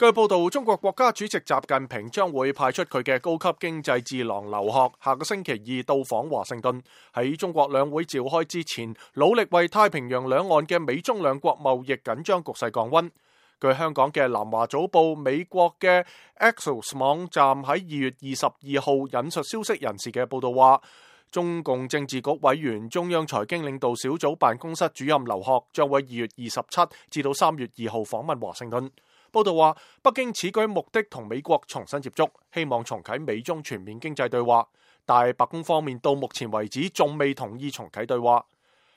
據報道，中國國家主席習近平將會派出佢嘅高級經濟智囊劉鶴，下個星期二到訪華盛頓，喺中國兩會召開之前，努力為太平洋兩岸嘅美中兩國貿易緊張局勢降溫。據香港嘅南華早報、美國嘅 Axios 網站喺2月22號引述消息人士嘅報道話，中共政治局委員、中央財經領導小組辦公室主任劉鶴將會2月27至到3月2號訪問華盛頓。報道話，北京此舉目的同美國重新接觸，希望重啟美中全面經濟對話，但白宮方面到目前為止仲未同意重啟對話。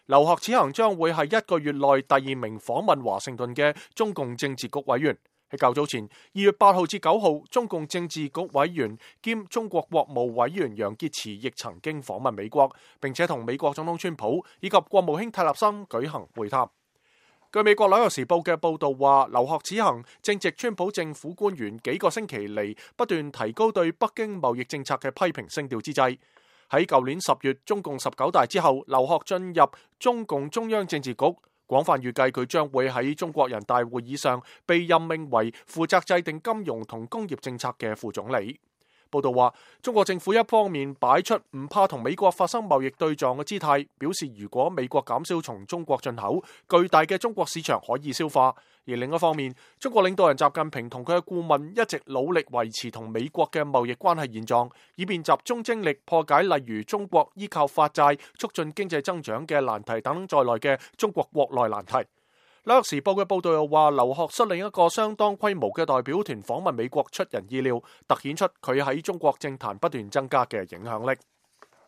劉鶴此行將會係1個月內第2名訪問華盛頓嘅中共政治局委員。喺較早前2月8號至9號，中共政治局委員兼中國國務委員楊潔篪亦曾經訪問美國，並且同美國總統川普以及國務卿泰勒森舉行會談。據美國紐約時報嘅報道話，劉鶴此行正值川普政府官員幾個星期嚟不斷提高對北京貿易政策嘅批評聲調之際。喺舊年10月中共19大之後，劉鶴進入中共中央政治局，廣泛預計佢將會喺中國人大會議上被任命為負責制定金融同工業政策嘅副總理。報道話，中國政府一方面擺出唔怕同美國發生貿易對撞嘅姿態，表示如果美國減少從中國進口，巨大嘅中國市場可以消化；而另一方面，中國領導人習近平同佢嘅顧問一直努力維持同美國嘅貿易關係現狀，以便集中精力破解例如中國依靠發債促進經濟增長嘅難題等在內嘅中國國內難題。紐約時報嘅報道又話，劉鶴率領一個相當規模嘅代表團訪問美國出人意料，凸顯出佢喺中國政壇不斷增加嘅影響力。